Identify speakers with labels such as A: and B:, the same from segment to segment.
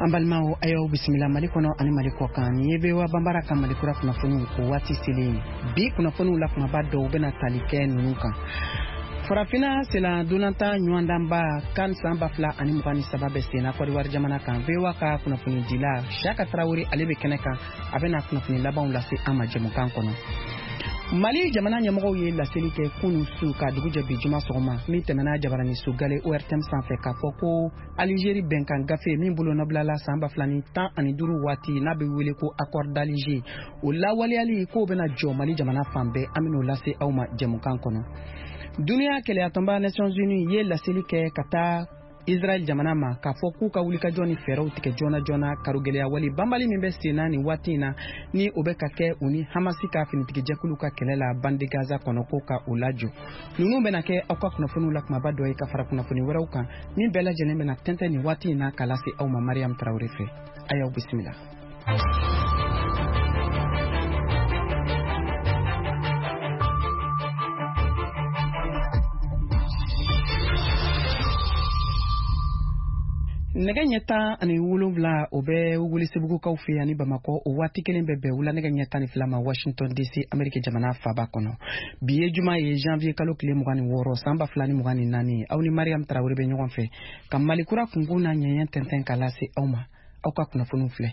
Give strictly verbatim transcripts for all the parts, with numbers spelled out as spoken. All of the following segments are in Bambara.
A: An balimaw, a y'aw bisimila Mali kɔnɔ ani Mali kɔ kan. Nin ye V O A Banbara ka Mali kura kunnafoniw ko waati selen. Bi kunnafoniw la, kumaba dɔw bɛna tali kɛ ninnu kan: Farafinna sela ntolatan ɲɔgɔndanba kan san ba fila ani mugan ni saba bɛ senna Kɔdiwari jamana kan. V O A ka kunnafonidila Siyaka Tarawele, ale bɛ kɛnɛ kan, a bɛna kunnafoni labanw lase an ma jɛmukan kɔnɔ. Mali jamana ɲɛmɔgɔw ye laseli kɛ kunu su ka dugu jɛ bi juma sɔgɔma min tɛmɛna jabaraniso gale O R T M sanfɛ, k'a fɔ ko Alizeri bɛnkan gafe min bolonɔbilala san ba fila ni tan ani duuru waati, n'a bɛ wele ko Accord d'Alger, o lawaleyali k'o bɛna jɔ Mali jamana fan bɛɛ. An bɛn'o lase aw ma jɛmukan kɔnɔ. Duniya kelenyatɔnba Nations Unies ye laseli kɛ ka taa Israɛl jamana ma, k'a fɔ k'u ka wulikajɔ ni fɛɛrɛw tigɛ joona joona karogɛlɛya wale banbali min bɛ sen na nin waati in na, ni o bɛ ka kɛ u ni Hamasi ka finitigijɛkulu ka kɛlɛ la bande Gaza kɔnɔ, ko ka o lajɔ. Ninnu bɛna kɛ aw ka kunnafoniw la kumaba dɔ ye, ka fara kunnafoni wɛrɛw kan min bɛɛ lajɛlen bɛna tɛntɛn nin waati in na ka lase aw ma Mariam Tarawele fɛ. A y'aw bisimila. Nɛgɛ ɲɛ tan ani wolonwula, o bɛ Welesebugukaw fɛ yan ni Bamakɔ. O waati kelen bɛ bɛn wula nɛgɛ ɲɛ tan ni fila ma Washington D C, Ameriki jamana faba kɔnɔ. Bi ye juma ye, janvier kalo tile mugan ni wɔɔrɔ, san ba fila ni mugan ni naani. Aw ni Mariam Tarawele bɛ ɲɔgɔn fɛ ka Malikura kunkun n'a ɲɛɲɛ tɛntɛn ka lase aw ma. Aw ka kunnafoniw filɛ: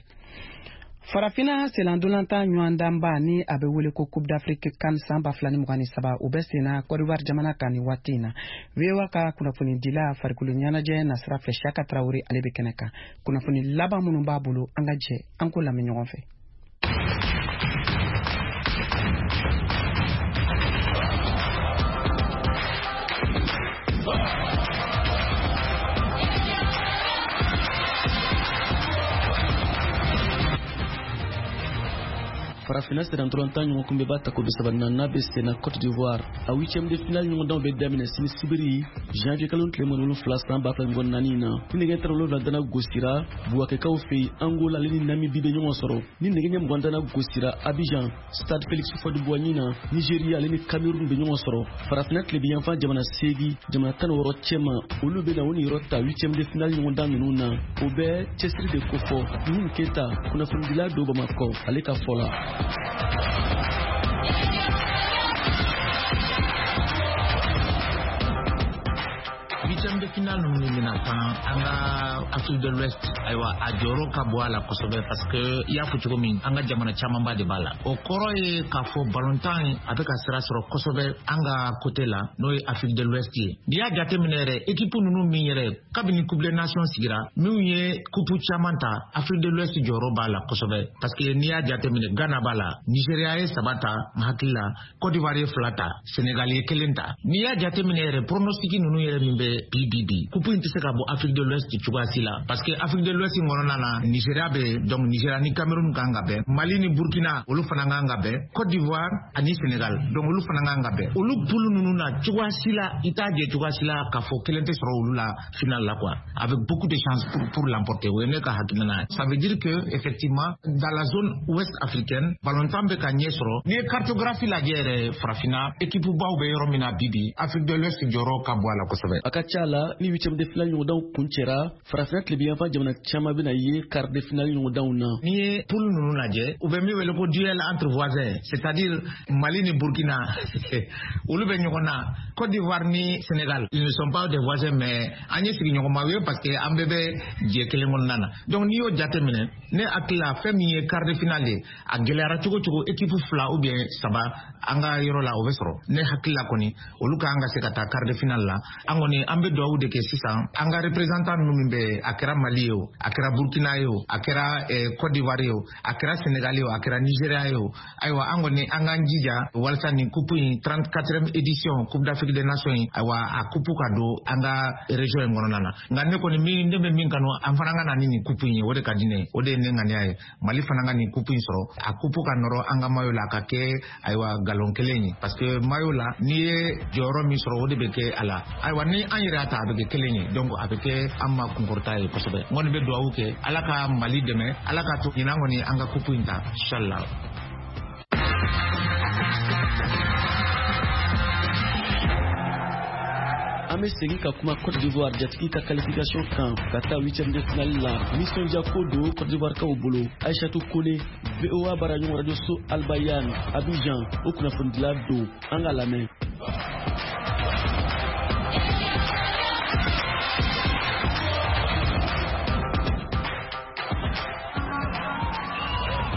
A: Farafinna selandolantan ɲɔgɔndanba ni a bɛ wele ko Coupe d'Afrique CAN san ba fila ni mugan ni saba, o bɛ senna Kɔdiwari jamana kan nin waati in na. V O A ka kunnafonidila farikolo ɲɛnajɛ nasira fɛ, Siyaka Tarawele, ale bɛ kɛnɛ kan. Kunnafoni laban minnu b'a bolo, an ka jɛ an k'o lamɛn ɲɔgɔn fɛ.
B: Farafinna sennantolatan ɲɔgɔn kunbɛba tako bi saba naaninan bɛ senna Cote d'Ivoire. A huitième de finale ɲɔgɔndanw bɛ daminɛ sini sibiri, janvier kalo tile mugan wolonfila, san ba fila mugan naani na. Ni nɛgɛ tan wolonfila dana gosira Buwakɛkaw fɛ yen, Angola ale ni Namibi bɛ ɲɔgɔn sɔrɔ. Ni nɛgɛ ɲɛ mugan dana gosira Abidjan, Stade Félix Houphouët Boigny na, Nigeria ale ni Cameroun bɛ ɲɔgɔn sɔrɔ. Farafinna tilebinyanfan jamana seegin, jamana tan ni wɔɔrɔ cɛma, olu bɛna o niyɔrɔ ta huitième de finale ɲɔgɔndan ninnu na. O bɛ cɛsiri de kofɔ. Nuhun Keyita, kunnafonidila don Bamakɔ, ale ka fɔ la.
C: Huitième de finale ninnu bɛna tan an ka Afrique de l'Ouest, ayiwa, a jɔyɔrɔ ka bon a la kosɛbɛ, parce que i y'a fɔ cogo min, an ka jamana camanba de b'a la. O kɔrɔ ye k'a fɔ balontan a bɛ ka sira sɔrɔ kosɛbɛ an ka côté la, n'o ye Afrique de l'Ouest ye. N'i y'a jateminɛ yɛrɛ, équipe ninnu min yɛrɛ kabini Coupe des Nations sigira, minnu ye coupe caman ta, Afrique de l'Ouest jɔyɔrɔ b'a la kosɛbɛ, parce que n'i y'a jateminɛ, Ghana b'a la, Nigeria ye saba ta n hakili la, Côte d'Ivoire ye fila ta, Sénégal ye kelen ta. N'i y'a jateminɛ yɛrɛ, pronostic ninnu yɛrɛ min bɛ bi bi bi, coupe in tɛ se ka bɔ Afrique de l'Ouest cogoya si la, parce que Afrique de l'Ouest kɔnɔna na, Nigeria bɛ, donc Nigeria ni Cameroun kan ka bɛn, Mali ni Burkina olu fana kan ka bɛn, Côte d'Ivoire ani Sénégal, donc olu fana kan ka bɛn. Olu poule ninnu na, cogoya si la i t'a jɛ cogoya si la k'a fɔ kelen tɛ sɔrɔ olu la finale la quoi, avec beaucoup de chances pour, pour l'emporter. O ye ne ka hakilina ye. Ça veut dire que effectivement, dans la zone ouest africaine, ballontan bɛ ka ɲɛ sɔrɔ. N'i ye cartographie lajɛ yɛrɛ, farafinna équipe baw bɛ yɔrɔ min na bi bi, Afrique de l'Ouest jɔyɔrɔ ka bon a la kosɛbɛ.
B: A ka ca la, ni huitième de finale ɲɔgɔndanw kuncɛra, farafinna tilebinyanfan jamana caman bɛna ye quart de finale ɲɔgɔndanw na.
C: N'i ye poule ninnu lajɛ, u bɛ min wele ko duel entre voisins, c'est-à-dire Mali ni Burkina, olu bɛ ɲɔgɔn na, Côte d'Ivoire ni Sénégal, ils ne sont pas des voisins, mais an ye sigiɲɔgɔnmaw ye, parce que an bɛɛ bɛ jɛ kelen kɔnɔna na. Donc n'i y'o jateminɛ, ne hakili la, fɛn min ye quart de finale ye, a gɛlɛyara cogo cogo, équipe fila ou bien saba an ka yɔrɔ la, o bɛ sɔrɔ. Ne hakili la kɔni, olu kan ka se ka taa quart de finale la. An kɔni an bɛ dugawu de kɛ sisan, an ka représentant ninnu min bɛ, a kɛra Mali ye o, a kɛra Burkina ye o, a kɛra Côte d'Ivoire ye o, a kɛra Sénégal ye o, a kɛra Nigeria ye o, ayiwa, an kɔni an k'an jija walasa nin coupe in, trente-quatrième édition Coupe d'Afrique des Nations in, ayiwa, a coupe ka don an ka région in kɔnɔna na. Nka ne kɔni min ne bɛ min kanu, an fana ka na ni nin coupe in ye, o de ka di ne ye, o de ye ne ŋaniya ye. Mali fana ka nin coupe in sɔrɔ, a coupe ka nɔrɔ an ka maillot la, a ka kɛ, ayiwa, galon kelen ye, parce que maillot la, n'i ye jɔyɔrɔ min sɔrɔ, o de bɛ kɛ a la. Ayiwa, ni an yɛrɛ y'a ta, a bɛ kɛ kelen ye, donc a bɛ kɛ an ma kunkɔrɔta ye kosɛbɛ. N kɔni bɛ dugawu kɛ, Ala ka Mali dɛmɛ, Ala ka to ɲinan kɔni an ka coupe in ta, inshallah.
B: An bɛ segin ka kuma Côte d'Ivoire jatigi ka qualification kan ka taa huitième de finale la. Nisɔndiya ko don Côte d'Ivoire kaw bolo. Aïchatou Kone, V O A baaraɲɔgɔn radio so Albayan Abidjan, o kunnafonidila don, an ka lamɛn.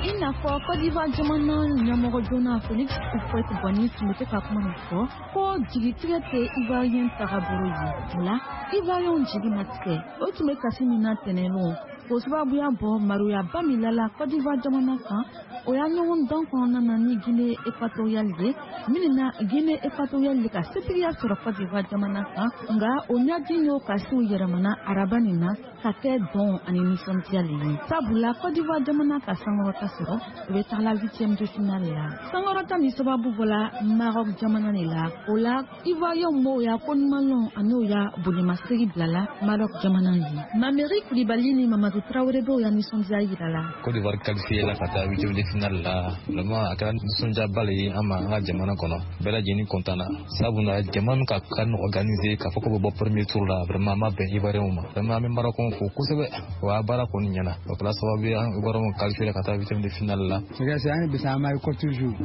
D: I n'a fɔ Côte d'Ivoire jamana ɲɛmɔgɔ joona Félix Houphouët-Boigny tun bɛ to ka kuma min fɔ ko jigitigɛ tɛ Ivoirien tagabolo ye. O la, Ivoirien jigi ma tigɛ. O tun bɛ kasi min na tɛnɛnlon, k'o sababuya bɔ maroyaba min lala Côte d'Ivoire jamana kan, o y'a ɲɔgɔn dan kɔnɔna na ni Guinée équatoriale ye, min na Guinée équatoriale ka setigiya sɔrɔ Côte d'Ivoire jamana kan. Nka o ɲaji n'o kasiw yɛlɛmana araba nin na ka kɛ dɔn ani nisɔndiya le ye, sabula Côte d'Ivoire jamana ka sankɔrɔta sɔrɔ, u bɛ taga la huitième de finale la. Sankɔrɔta nin sababu bɔla Maroc jamana de la. O la, Ivoirien m'o ya koɲuman lɔn ani o ya bonyamasegin bilala Maroc jamana ye. Mameri Kulibali ni Mamadu Traoré b'o ya nisɔndiya yira la.
E: Côte d'Ivoire qualifié la ka taa huitième de finale la, vraiment a kɛra nisɔndiyaba le ye an ma. An ka jamana kɔnɔ, bɛɛ lajɛlen content na, sabula jama min ka CAN organiser k'a fɔ ko bɛ bɔ premier tour la, vraiment a ma bɛn Ivoirien ma. Vraiment, an bɛ Maroc fo kosɛbɛ, o baara kɔni ɲɛna, o kɛra sababu ye an Ivoirien qualifié ka taa huitième de finale la.
F: C'est que an bisa an ma kɔ toujours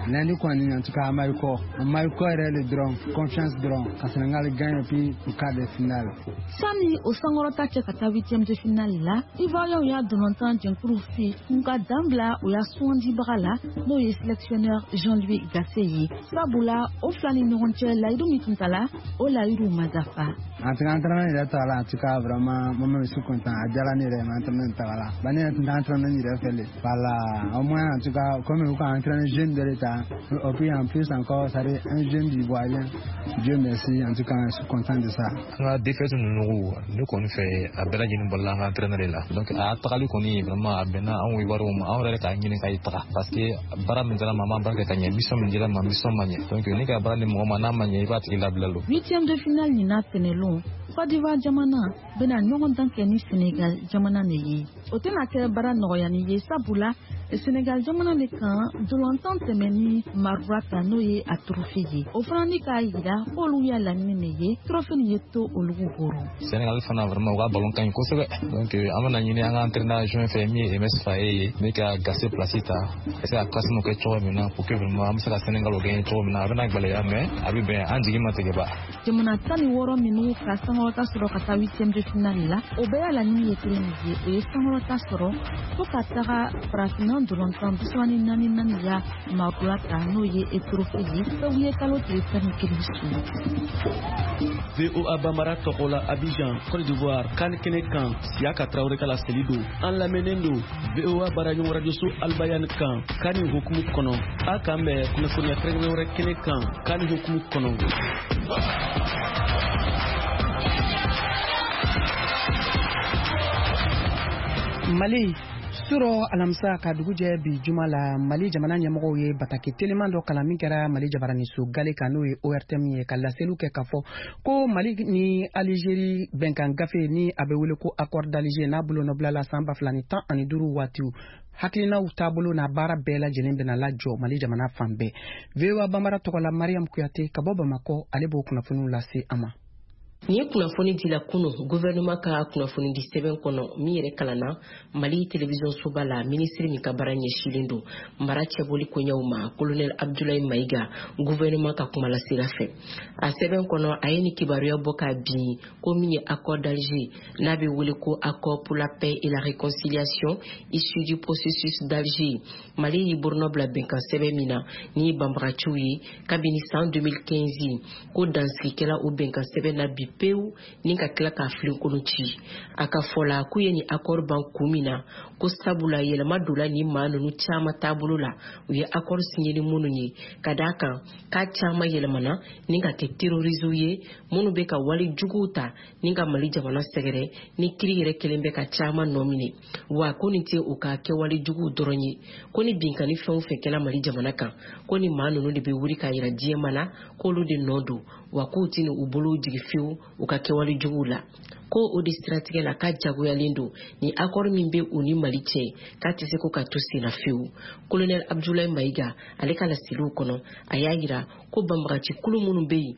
F: lundi kɔni, en tout cas an ma kɔ, an ma kɔ yɛrɛ de dɔrɔn, confiance dɔrɔn ka Sénégal gagne et puis au quart de finale.
D: Sani o sankɔrɔta cɛ ka taa huitième de finale la, Ivoirien y'a dolantan jɛnkulu fi nka dan bila o y'a sugandibaga la, n'o ye sélectionneur Jean-Louis Gasset ye, sabula o fila ni ɲɔgɔn cɛ, layidu min tun ta la, o layidu ma dafa.
F: En tout cas, entraînement yɛrɛ taga la, en tout cas vraiment moi-même je suis content, a diyara ne yɛrɛ ye, entraînement taga la. Ba ne yɛrɛ tun tɛ entraînement yɛrɛ fɛ le. Voilà, au moins en tout cas comme u ka entraîner jeune dɔ de ta, et puis en plus encore ça un jeune d'Ivoirien. Dieu merci, en tout cas je suis content de ça.
E: An ka défaite ninnu, ne kɔni fɛ, a bɛɛ lajɛlen bɔla an ka entraîneur de la. Donc a tagali kɔni, vraiment a bɛnna anw Ivoirienw ma, anw yɛrɛ k'a ɲini k'a taga, parce que baara min dira ma, an ma baara kɛ ka ɲɛ, mission min dira ma, mission ma ɲɛ. Donc ni ka baara di mɔgɔ ma, n'a ma ɲɛ, i b'a tigi labila lo.
D: Huitième de finale nin n'a tɛnɛlon, Côte d'Ivoire jamana bɛna ɲɔgɔn dan kɛ ni Sénégal jamana de ye. O tɛna kɛ baara nɔgɔyani ye, sabula Sénégal jamana de kan dolantan tɛmɛ ni marura ta, n'o ye a trophée ye. O fana ni k'a yira k'olu y'a laɲini de ye trophée nin ye to olu bolo.
E: Sénégal fana, vraiment u ka ballon ka ɲi kosɛbɛ. Donc an bɛna ɲini an ka entraîneur adjoint fɛ, min ye Emerse Faé ye, min ka Gasset place ta, ka se ka classe kɛ cogo min na pour que vraiment an bɛ se ka Sénégal gagner cogo min na. A bɛna gɛlɛya, mais a bɛ bɛn, an jigi ma tigɛ ba.
D: Jamana tan ni wɔɔrɔ minnu ka sankɔrɔta sɔrɔ ka taa huitième de finale la, o bɛɛ y'a laɲini ye kelen de ye, o ye sankɔrɔta sɔrɔ fo ka taga farafinna dolantan bi saba ni naani naani ya marula ta, n'o ye trophée ye février kalo tile tan ni kelen su.
B: V O A Bambara tɔgɔ la Abidjan, Côte d'Ivoire, CAN kɛnɛ kan, Siyaka Traoré ka laseli don. An lamɛnnen don V O A baaraɲɔgɔn radio so Albayan kan CAN hukumu kɔnɔ. A k'an bɛn kunnafoniya kɛrɛnkɛrɛn wɛrɛ kɛnɛ kan CAN hukumu kɔnɔ.
A: Mali surɔ alamisa ka dugu jɛ bi juma la, Mali jamana ɲɛmɔgɔw ye bataki teliman dɔ kalan min kɛra Mali jabaraniso gale kan, n'o ye O R T M ye, ka laseliw kɛ k'a fɔ ko Mali ni Alizeri bɛnkan gafe ni a bɛ wele ko accord d'Alger, n'a bolonɔbila la san ba fila ni tan ani duuru waatiw, hakilinaw taabolo n'a baara bɛɛ lajɛlen bɛna lajɔ Mali jamana fan bɛɛ. V O A Bambara tɔgɔ la, Mariam Kuyate ka bɔ Bamakɔ, ale b'o kunnafoniw lase an ma.
G: Nin ye kunnafoni dila kunu gouvernement ka kunnafoni di sɛbɛn kɔnɔ min yɛrɛ kalanna Mali télévision soba la. Minisiri min ka baara ɲɛsilen don mara cɛbɔli koɲɛw ma, colonel Abdoulaye Maïga, gouvernement ka kumalasira fɛ, a sɛbɛn kɔnɔ, a ye ni kibaruya bɔ ka bin ko min ye accord d'Alger, n'a bɛ wele ko accord pour la paix et la réconciliation issu du processus d'Alger, Mali y'i bolonɔ bila bɛnkan sɛbɛn min na ni banbagaciw ye kabini san deux mille quinze, ko dansigikɛla o bɛnkan sɛbɛn na bi pewu ni ka tila k'a filenkolon ci. A ka fɔ la k'u ye nin accord ban kun min na, ko sabula yɛlɛma donna nin maa ninnu caman taabolo la, u ye accord signé ni minnu ye, ka d'a kan k'a caman yɛlɛmana ni ka kɛ terroristew ye minnu bɛ ka wale juguw ta ni ka Mali jamana sɛgɛrɛ, ni kiri yɛrɛ kelen bɛ ka caman nɔ minɛ. Wa ko nin tɛ u ka kɛwale juguw dɔrɔn ye, ko ni binkani fɛn o fɛn kɛla Mali jamana kan, ko ni maa ninnu de bɛ wuli k'a yira diɲɛ ma na k'olu de nɔ don, wa k'u tɛna u bolo jigi fiyewu u ka kɛwale juguw la. Ko o de siratigɛ la, k'a jagoyalen don ni accord min bɛ u ni Mali cɛ, k'a tɛ se ko ka to sen na fiyewu. Colonel Abdoulaye Maïga, ale ka laseliw kɔnɔ, a y'a yira ko banbagaci kulu minnu bɛ yen